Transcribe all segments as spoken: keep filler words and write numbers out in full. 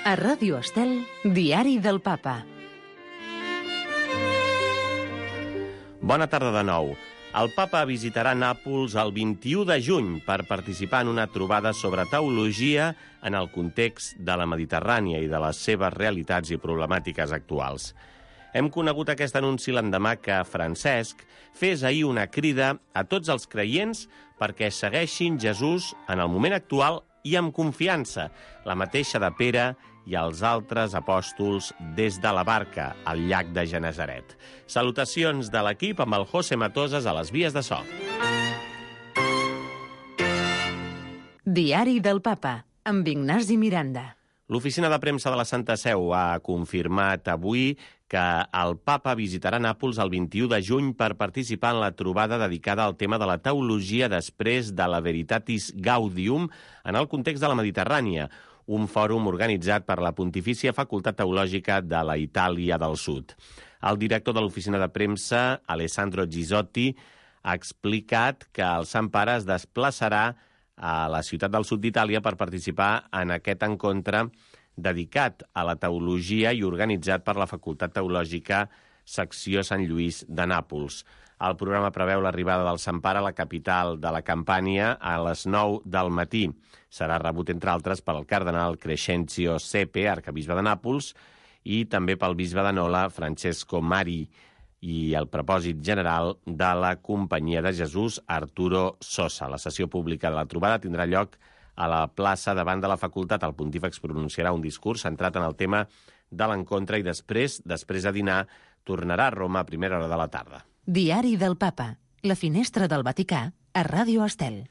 A Ràdio Estel, Diari del Papa. Bona tarda de nou. El papa visitarà Nàpols el vint-i-u de juny per participar en una trobada sobre teologia en el context de la Mediterrània i de les seves realitats i problemàtiques actuals. Hem conegut aquest anunci l'endemà que Francesc fes ahir una crida a tots els creients perquè segueixin Jesús en el moment actual i amb confiança, la mateixa de Pere i els altres apòstols des de la barca al llac de Genesaret. Salutacions de l'equip amb el José Matoses a les vies de so. Diari del Papa, amb Ignasi Miranda. L'oficina de premsa de la Santa Seu ha confirmat avui que el papa visitarà Nàpols el vint-i-u de juny per participar en la trobada dedicada al tema de la teologia després de la Veritatis Gaudium en el context de la Mediterrània, un fòrum organitzat per la Pontifícia Facultat Teològica de la Itàlia del Sud. El director de l'oficina de premsa, Alessandro Gisotti, ha explicat que el Sant Pare es desplaçarà a la ciutat del sud d'Itàlia per participar en aquest encontre dedicat a la teologia i organitzat per la Facultat Teològica Secció Sant Lluís de Nàpols. El programa preveu l'arribada del Sant Pare a la capital de la Campània a les nou del matí. Serà rebut, entre altres, pel cardenal Crescenzio Sepe, arcabisbe de Nàpols, i també pel bisbe de Nola, Francesco Mari, i el propòsit general de la Companyia de Jesús, Arturo Sosa. La sessió pública de la trobada tindrà lloc a la plaça davant de la facultat. El pontífex pronunciarà un discurs centrat en el tema de l'encontre i després, després de dinar, tornarà a Roma a primera hora de la tarda. Diari del Papa, la finestra del Vaticà, a Ràdio Estel.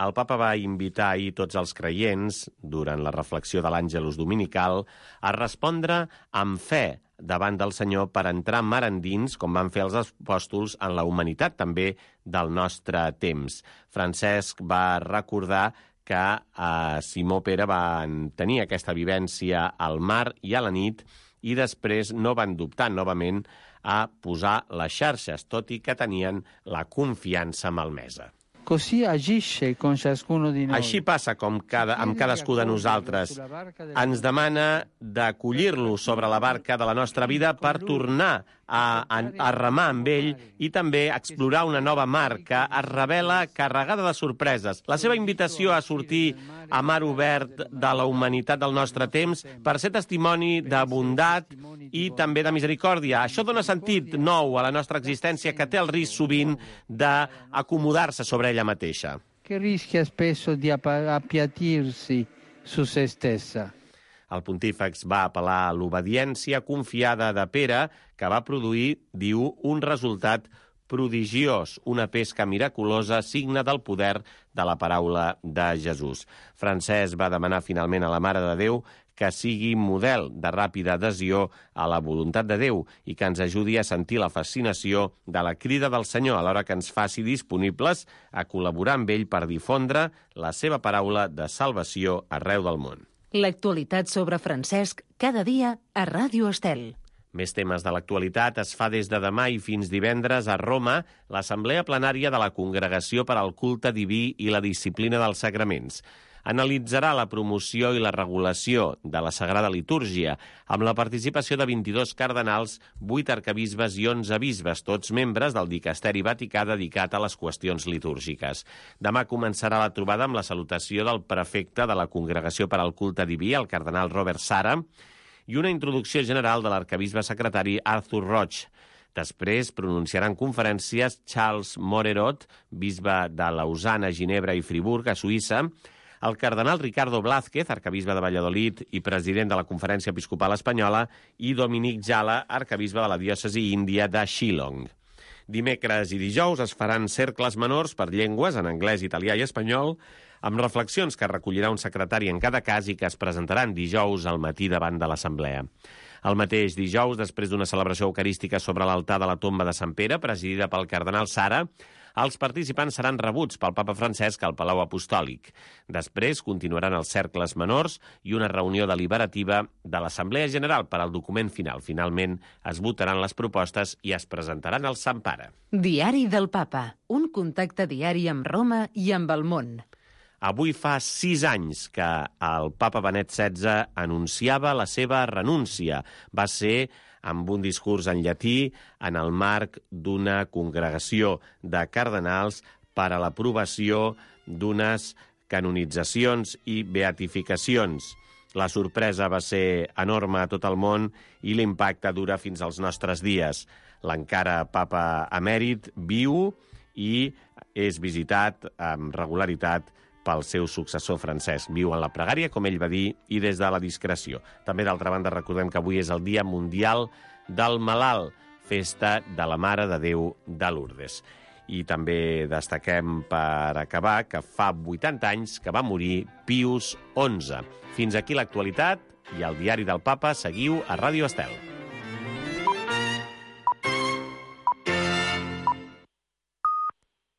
El papa va invitar ahir tots els creients, durant la reflexió de l'Àngelus dominical, a respondre amb fe davant del Senyor per entrar mar endins, com van fer els apòstols, en la humanitat també del nostre temps. Francesc va recordar que eh, Simó Pere van tenir aquesta vivència al mar i a la nit i després no van dubtar novament a posar les xarxes, tot i que tenien la confiança malmesa. Così agisce con ciascuno di noi. Així passa com cada, amb cadascú de nosaltres. Ens demana d'acollir-lo sobre la barca de la nostra vida per tornar a, a, a remar amb ell i també explorar una nova mar que es revela carregada de sorpreses. La seva invitació a sortir a mar obert de la humanitat del nostre temps per ser testimoni de bondat i també de misericòrdia. Això dona sentit nou a la nostra existència que té el risc sovint d'acomodar-se sobre ella mateixa. Che rischia spesso di appiattirsi su se stessa. El pontífex va apel·lar a l'obediència confiada de Pere, que va produir, diu, un resultat prodigiós, una pesca miraculosa, signe del poder de la paraula de Jesús. Francesc va demanar finalment a la Mare de Déu que sigui model de ràpida adhesió a la voluntat de Déu i que ens ajudi a sentir la fascinació de la crida del Senyor, alhora que ens faci disponibles a col·laborar amb ell per difondre la seva paraula de salvació arreu del món. L'actualitat sobre Francesc, cada dia a Ràdio Estel. Més temes de l'actualitat. Es fa des de demà i fins divendres a Roma l'Assemblea Plenària de la Congregació per al Culte Diví i la Disciplina dels Sagraments. Analitzarà la promoció i la regulació de la Sagrada Litúrgia amb la participació de vint-i-dos cardenals, vuit arcabisbes i onze bisbes, tots membres del Dicasteri Vaticà dedicat a les qüestions litúrgiques. Demà començarà la trobada amb la salutació del prefecte de la Congregació per al Culte Diví, el cardenal Robert Sara, i una introducció general de l'arcabisbe secretari Arthur Roig. Després pronunciaran conferències Charles Morerot, bisbe de Lausana, Ginebra i Friburg, a Suïssa, el cardenal Ricardo Blázquez, arcabisbe de Valladolid i president de la Conferència Episcopal Espanyola, i Dominic Jala, arcabisbe de la diòcesi índia de Shillong. Dimecres i dijous es faran cercles menors per llengües en anglès, italià i espanyol, amb reflexions que recollirà un secretari en cada cas i que es presentaran dijous al matí davant de l'Assemblea. El mateix dijous, després d'una celebració eucarística sobre l'altar de la tomba de Sant Pere, presidida pel cardenal Sara, els participants seran rebuts pel papa Francesc al Palau Apostòlic. Després continuaran els cercles menors i una reunió deliberativa de l'Assemblea General per al document final. Finalment es votaran les propostes i es presentaran al Sant Pare. Diari del Papa, un contacte diari amb Roma i amb el món. Avui fa sis anys que el papa Benet setze anunciava la seva renúncia. Va ser amb un discurs en llatí en el marc d'una congregació de cardenals per a l'aprovació d'unes canonitzacions i beatificacions. La sorpresa va ser enorme a tot el món i l'impacte dura fins als nostres dies. L'encara papa emèrit viu i és visitat amb regularitat pel seu successor Francesc. Viu en la pregària, com ell va dir, i des de la discreció. També, d'altra banda, recordem que avui és el Dia Mundial del Malalt, festa de la Mare de Déu de Lourdes. I també destaquem, per acabar, que fa vuitanta anys que va morir Pius onze. Fins aquí l'actualitat i el Diari del Papa. Seguiu a Ràdio Estel.